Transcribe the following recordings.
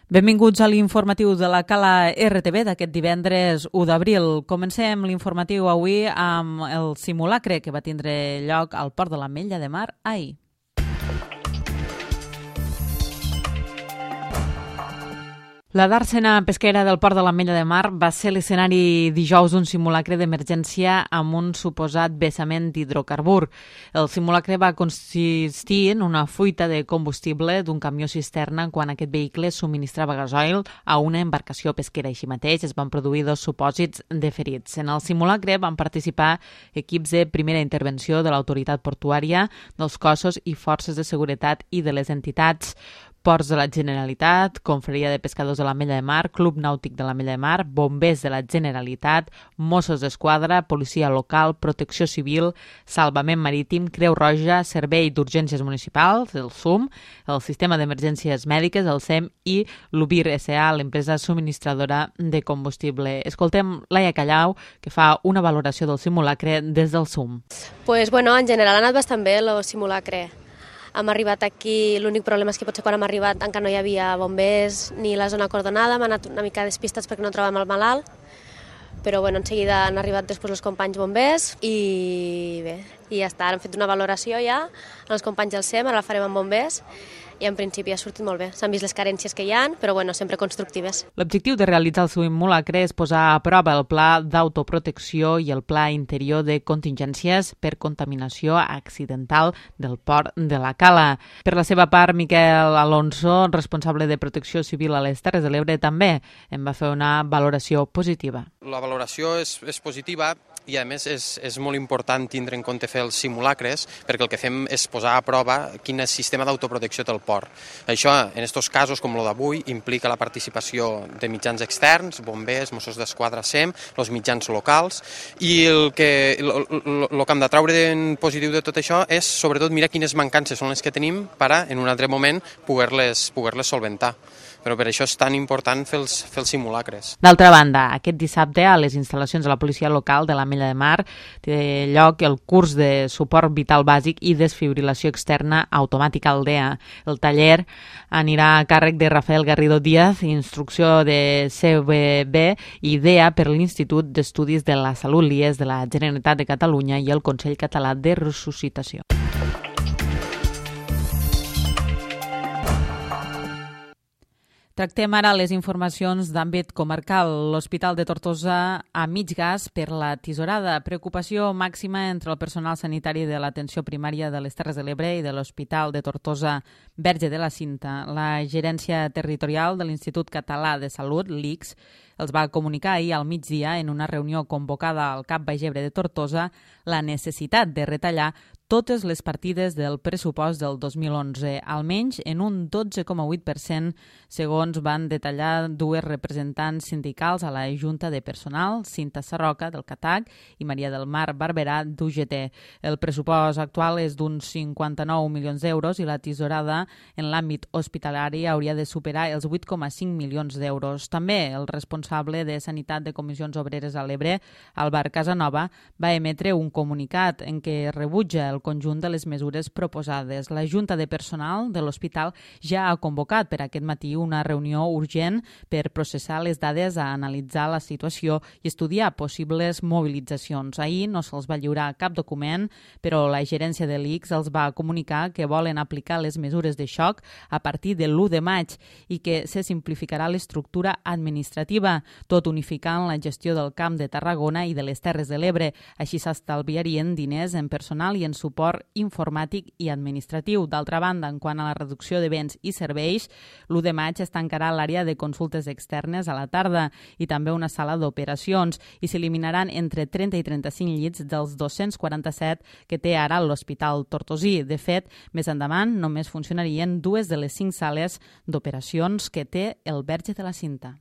Benvinguts a l'informatiu de la Cala RTV d'aquest divendres 1 d'abril. Comencem l'informatiu avui amb el simulacre que va tindre lloc al Port de l'Ametlla de Mar ahir. La dàrsena pesquera del Port de l'Ametlla de Mar va ser l'escenari dijous d'un simulacre d'emergència amb un suposat vessament d'hidrocarbur. El simulacre va consistir en una fuita de combustible d'un camió cisterna quan aquest vehicle subministrava gasoil a una embarcació pesquera. Així mateix es van produir 2 supòsits de ferits. En el simulacre van participar equips de primera intervenció de l'autoritat portuària, dels cossos i forces de seguretat i de les entitats Ports de la Generalitat, Confraria de Pescadors de l'Ametlla de Mar, Club Nàutic de l'Ametlla de Mar, Bombers de la Generalitat, Mossos d'Esquadra, Policia Local, Protecció Civil, Salvament Marítim, Creu Roja, Servei d'Urgències Municipals, el SUM, el Sistema d'Emergències Mèdiques, el SEM i l'UBIR S.A., l'empresa subministradora de combustible. Escoltem Laia Callau, que fa una valoració del simulacre des del SUM. En general ha anat bastant bé el simulacre. Hem arribat aquí, l'únic problema és que potser quan hem arribat encara no hi havia bombers ni la zona acordonada, hem anat una mica despistats perquè no trobem el malalt, però en seguida han arribat després els companys bombers i bé, i ja està, hem fet una valoració ja amb els companys del SEM, ara la farem amb bombers i en principi ha sortit molt bé. S'han vist les carències que hi ha, però sempre constructives. L'objectiu de realitzar el simulacre és posar a prova el pla d'autoprotecció i el pla interior de contingències per contaminació accidental del port de la Cala. Per la seva part, Miquel Alonso, responsable de Protecció Civil a les Terres de l'Ebre, també en va fer una valoració positiva. La valoració és positiva i a més és molt important tindre en compte fer els simulacres perquè el que fem és posar a prova quin sistema d'autoprotecció té el port. Això, en aquests casos com el d'avui, implica la participació de mitjans externs, bombers, Mossos d'Esquadra, SEM, els mitjans locals, i el que hem de treure en positiu de tot això és sobretot mirar quines mancances són les que tenim per a, en un altre moment, poder-les solventar. Però per això és tan important fer els simulacres. D'altra banda, aquest dissabte a les instal·lacions de la policia local de l'Ametlla de Mar té lloc el curs de suport vital bàsic i desfibrilació externa automàtica Aldea. El taller anirà a càrrec de Rafael Garrido Díaz, instrucció de CVB i IDEA per l'Institut d'Estudis de la Salut l'IES de la Generalitat de Catalunya i el Consell Català de Ressuscitació. Tractem ara les informacions d'àmbit comarcal. L'Hospital de Tortosa a mig gas per la tisorada. Preocupació màxima entre el personal sanitari de l'atenció primària de les Terres de l'Ebre i de l'Hospital de Tortosa Verge de la Cinta. La gerència territorial de l'Institut Català de Salut, l'ICS, els va comunicar ahir al migdia en una reunió convocada al CAP Baix Ebre de Tortosa la necessitat de retallar totes les partides del pressupost del 2011, almenys en un 12,8%, segons van detallar 2 representants sindicals a la Junta de Personal, Cinta Sarroca, del CATAC, i Maria del Mar Barberà, d'UGT. El pressupost actual és d'uns 59 milions d'euros i la tisorada en l'àmbit hospitalari hauria de superar els 8,5 milions d'euros. També el responsable de Sanitat de Comissions Obreres a l'Ebre, Albert Casanova, va emetre un comunicat en què rebutja el conjunt de les mesures proposades. La Junta de Personal de l'Hospital ja ha convocat per aquest matí una reunió urgent per processar les dades, a analitzar la situació i estudiar possibles mobilitzacions. Ahir no se'ls va lliurar cap document, però la gerència de l'ICS els va comunicar que volen aplicar les mesures de xoc a partir de l'1 de maig i que se simplificarà l'estructura administrativa, tot unificant la gestió del Camp de Tarragona i de les Terres de l'Ebre. Així s'estalviarien diners en personal i en suport informàtic i administratiu. D'altra banda, en quant a la reducció de béns i serveis, l'1 de maig es tancarà l'àrea de consultes externes a la tarda i també una sala d'operacions i s'eliminaran entre 30 i 35 llits dels 247 que té ara l'Hospital Tortosí. De fet, més endavant només funcionarien 2 de les 5 sales d'operacions que té el Verge de la Cinta.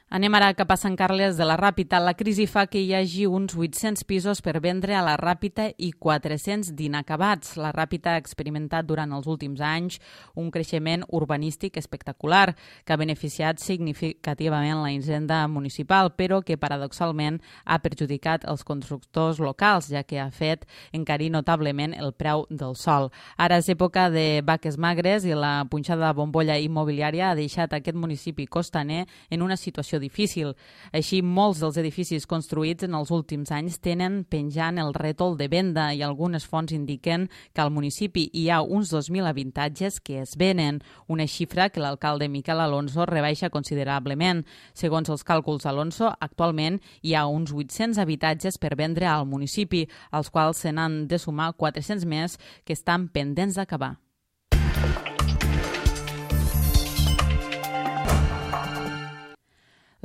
Anem ara cap a Sant Carles de la Ràpita. La crisi fa que hi hagi uns 800 pisos per vendre a la Ràpita i 400 d'inacabats. La Ràpita ha experimentat durant els últims anys un creixement urbanístic espectacular que ha beneficiat significativament la hisenda municipal, però que paradoxalment ha perjudicat els constructors locals, ja que ha fet encarir notablement el preu del sòl. Ara és època de vaques magres i la punxada bombolla immobiliària ha deixat aquest municipi costaner en una situació difícil. Així, molts dels edificis construïts en els últims anys tenen penjant el rètol de venda i algunes fonts indiquen que al municipi hi ha uns 2.000 habitatges que es venen, una xifra que l'alcalde Miquel Alonso rebaixa considerablement. Segons els càlculs d'Alonso, actualment hi ha uns 800 habitatges per vendre al municipi, als quals se n'han de sumar 400 més que estan pendents d'acabar.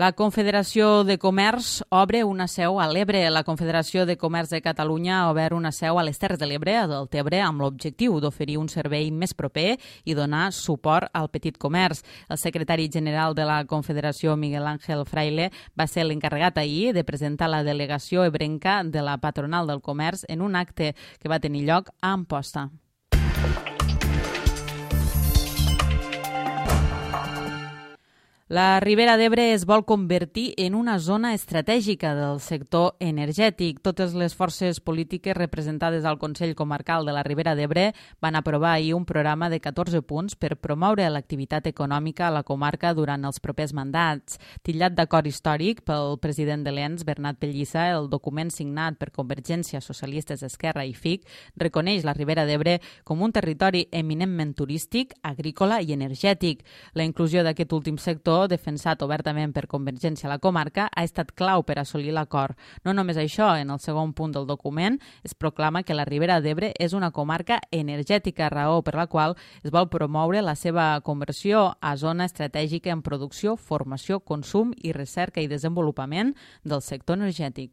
La Confederació de Comerç obre una seu a l'Ebre. La Confederació de Comerç de Catalunya ha obert una seu a les Terres de l'Ebre, a Deltebre, amb l'objectiu d'oferir un servei més proper i donar suport al petit comerç. El secretari general de la Confederació, Miguel Ángel Fraile, va ser l'encarregat ahir de presentar la delegació ebrenca de la Patronal del Comerç en un acte que va tenir lloc a Amposta. La Ribera d'Ebre es vol convertir en una zona estratègica del sector energètic. Totes les forces polítiques representades al Consell Comarcal de la Ribera d'Ebre van aprovar ahir un programa de 14 punts per promoure l'activitat econòmica a la comarca durant els propers mandats. Titllat d'acord històric pel president de l'ENS, Bernat Pellissa, el document signat per Convergència, Socialistes, Esquerra i FIC reconeix la Ribera d'Ebre com un territori eminentment turístic, agrícola i energètic. La inclusió d'aquest últim sector, defensat obertament per Convergència a la comarca, ha estat clau per assolir l'acord. No només això, en el segon punt del document es proclama que la Ribera d'Ebre és una comarca energètica, raó per la qual es vol promoure la seva conversió a zona estratègica en producció, formació, consum i recerca i desenvolupament del sector energètic.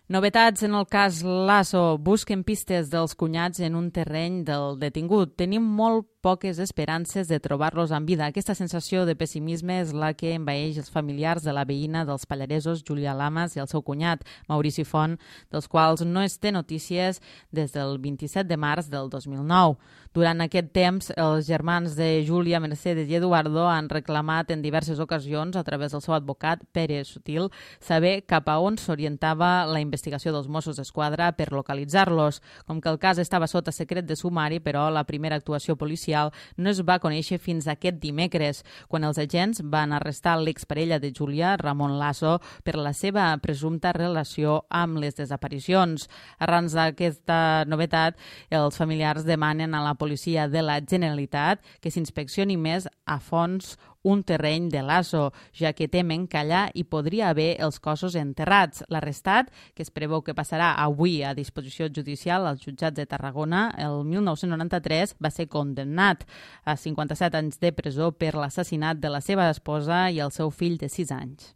Novetats en el cas Lasso. Busquen pistes dels cunyats en un terreny del detingut. Tenim molt poques esperances de trobar-los en vida. Aquesta sensació de pessimisme és la que envaeix els familiars de la veïna dels Pallaresos, Júlia Lamas, i el seu cunyat, Maurici Font, dels quals no es té notícies des del 27 de març del 2009. Durant aquest temps, els germans de Júlia, Mercedes i Eduardo han reclamat en diverses ocasions, a través del seu advocat, Pere Sutil, saber cap a on s'orientava la investigació dels Mossos d'Esquadra per localitzar-los. Com que el cas estava sota secret de sumari, però la primera actuació policial no es va conèixer fins aquest dimecres, quan els agents van arrestar l'exparella de Júlia, Ramon Lasso, per la seva presumpta relació amb les desaparicions. Arran d'aquesta novetat, els familiars demanen a la policia de la Generalitat que s'inspeccioni més a fons un terreny de Lasso, ja que temen que allà hi podria haver els cossos enterrats. L'arrestat, que es preveu que passarà avui a disposició judicial als jutjats de Tarragona, el 1993 va ser condemnat a 57 anys de presó per l'assassinat de la seva esposa i el seu fill de 6 anys.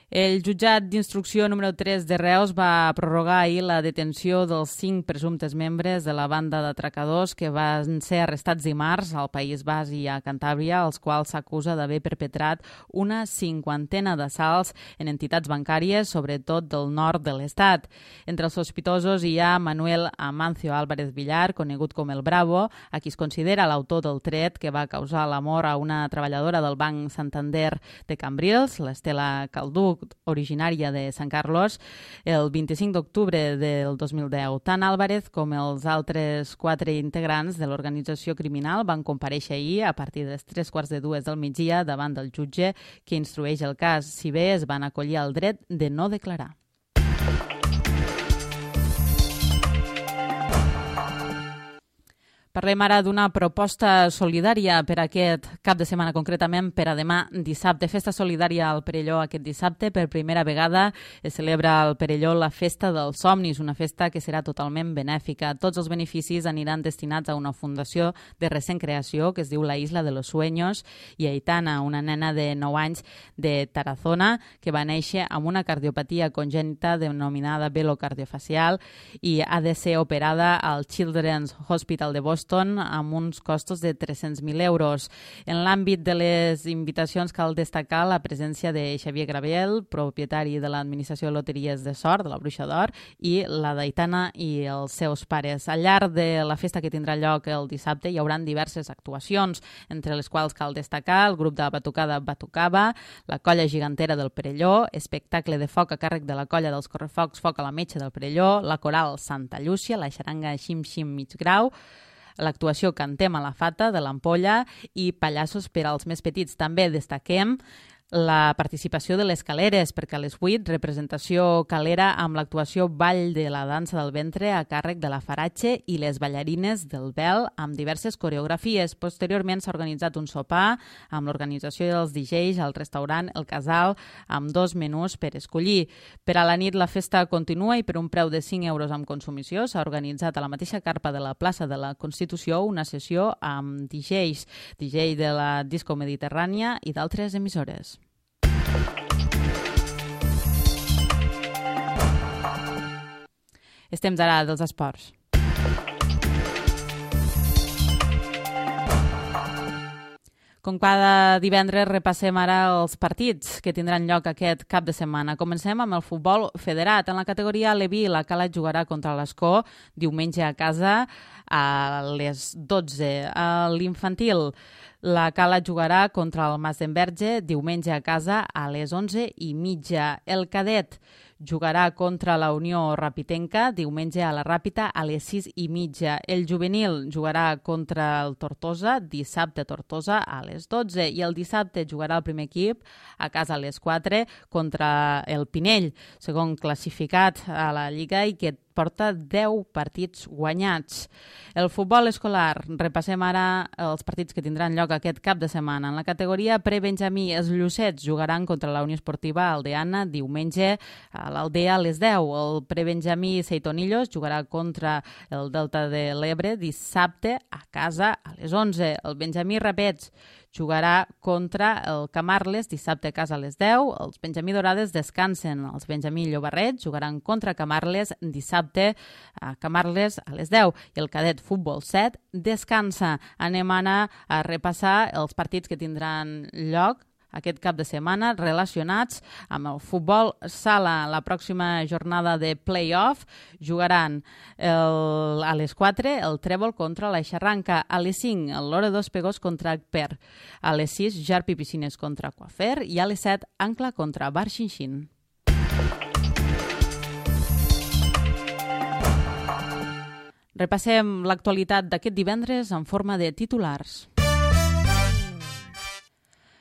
El jutjat d'instrucció número 3 de Reus va prorrogar ahir la detenció dels 5 presumptes membres de la banda d'atracadors que van ser arrestats dimarts al País Basc i a Cantàbria, els quals s'acusa d'haver perpetrat una 50ena d'assalts en entitats bancàries, sobretot del nord de l'Estat. Entre els sospitosos hi ha Manuel Amancio Álvarez Villar, conegut com el Bravo, a qui es considera l'autor del tret que va causar la mort a una treballadora del Banc Santander de Cambrils, l'Estela Calduc, originària de Sant Carlos, el 25 d'octubre del 2010. Tant Álvarez com els altres 4 integrants de l'organització criminal van comparèixer ahir a partir de les 3:15 del migdia davant del jutge que instrueix el cas, si bé es van acollir al dret de no declarar. Parlem ara d'una proposta solidària per aquest cap de setmana, concretament per a demà dissabte. Festa solidària al Perelló aquest dissabte. Per primera vegada es celebra al Perelló la Festa dels Somnis, una festa que serà totalment benèfica. Tots els beneficis aniran destinats a una fundació de recent creació que es diu La Isla de los Sueños, i Aitana, una nena de 9 anys de Tarazona que va néixer amb una cardiopatia congènita denominada velocardiofascial i ha de ser operada al Children's Hospital de Boston amb uns costos de 300.000 euros. En l'àmbit de les invitacions cal destacar la presència de Xavier Graviel, propietari de l'Administració de Loteries de Sort, de la Bruixa d'Or, i la d'Aitana i els seus pares. Al llarg de la festa que tindrà lloc el dissabte hi haurà diverses actuacions, entre les quals cal destacar el grup de batucada Batucava, la colla gegantera del Perelló, espectacle de foc a càrrec de la colla dels correfocs Foc a la Metxa del Perelló, la coral Santa Llúcia, la xaranga Xim Xim Mig Grau, l'actuació Cantem a la Fata de l'Ampolla i pallassos per als més petits. També destaquem la participació de les caleres, perquè a les 8 representació calera amb l'actuació Ball de la dansa del ventre a càrrec de la Faratge i les ballarines del Vel amb diverses coreografies. Posteriorment s'ha organitzat un sopar amb l'organització dels DJs al restaurant El Casal amb 2 menús per escollir. Per a la nit la festa continua i per un preu de 5 euros amb consumició s'ha organitzat a la mateixa carpa de la plaça de la Constitució una sessió amb DJs, DJ de la Disco Mediterrània i d'altres emissores. És temps ara dels esports. Com cada divendres repassem ara els partits que tindran lloc aquest cap de setmana. Comencem amb el futbol federat. En la categoria Leví, la Cala jugarà contra l'Escó diumenge a casa a les 12. A l'infantil, la Cala jugarà contra el Mas d'Enverge diumenge a casa a les 11:30. El cadet jugarà contra la Unió Rapitenca diumenge a la Ràpita a les 6:30. El juvenil jugarà contra el Tortosa dissabte a Tortosa a les 12 i el dissabte jugarà el primer equip a casa a les 4 contra el Pinell, segon classificat a la Lliga i que porta 10 partits guanyats. El futbol escolar, repassem ara els partits que tindran lloc aquest cap de setmana. En la categoria prebenjamí, els Llucets jugaran contra la Unió Esportiva Aldeana diumenge a l'Aldea a les 10. El prebenjamí Seitonillos jugarà contra el Delta de l'Ebre dissabte a casa a les 11. El Benjamí Rapets jugarà contra el Camarles dissabte a casa a les 10. Els Benjamí Dorades descansen. Els Benjamí Llobarret jugaran contra Camarles dissabte a Camarles a les 10. I el cadet Futbol 7 descansa. Anem ara a repassar els partits que tindran lloc aquest cap de setmana relacionats amb el futbol sala. La pròxima jornada de play-off jugaran a les 4 el Trèvol contra la Xarranca, a les 5 el Lore dos Pegós contra Agper, a les 6 Jarpi Piscines contra Coafer i a les 7 Ancla contra Bar Xinxin. Repassem l'actualitat d'aquest divendres en forma de titulars.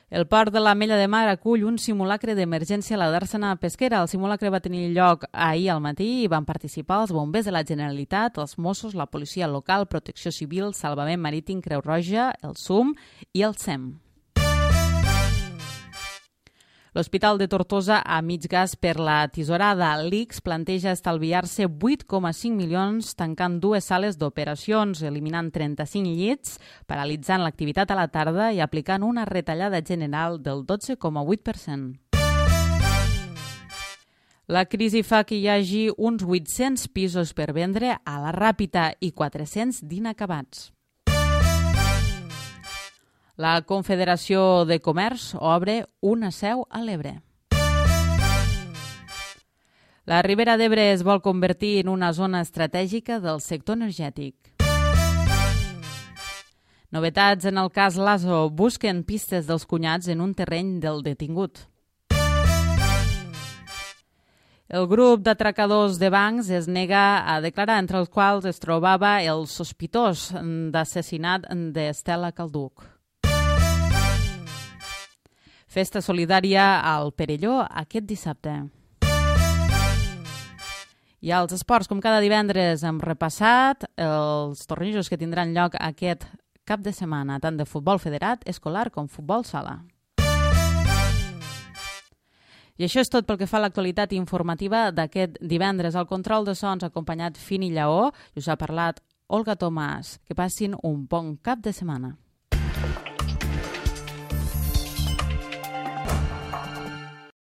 El port de l'Ametlla de Mar acull un simulacre d'emergència a la Dàrsena Pesquera. El simulacre va tenir lloc ahir al matí i van participar els bombers de la Generalitat, els Mossos, la policia local, Protecció Civil, Salvament Marítim, Creu Roja, el SUM i el SEM. L'Hospital de Tortosa a mig gas per la tisorada. L'ICS planteja estalviar-se 8,5 milions tancant 2 sales d'operacions, eliminant 35 llits, paralitzant l'activitat a la tarda i aplicant una retallada general del 12,8%. La crisi fa que hi hagi uns 800 pisos per vendre a la Ràpita i 400 d'inacabats. La Confederació de Comerç obre una seu a l'Ebre. La Ribera d'Ebre es vol convertir en una zona estratègica del sector energètic. Novetats en el cas Lasso. Busquen pistes dels cunyats en un terreny del detingut. El grup d'atracadors de bancs es nega a declarar, entre els quals es trobava el sospitós d'assassinat d'Estela Calduc. Festa solidària al Perelló aquest dissabte. I als esports, com cada divendres, hem repassat els tornejos que tindran lloc aquest cap de setmana, tant de futbol federat, escolar com futbol sala. I això és tot pel que fa a l'actualitat informativa d'aquest divendres. Al control de sons ha acompanyat Fini Lleó i us ha parlat Olga Tomàs. Que passin un bon cap de setmana.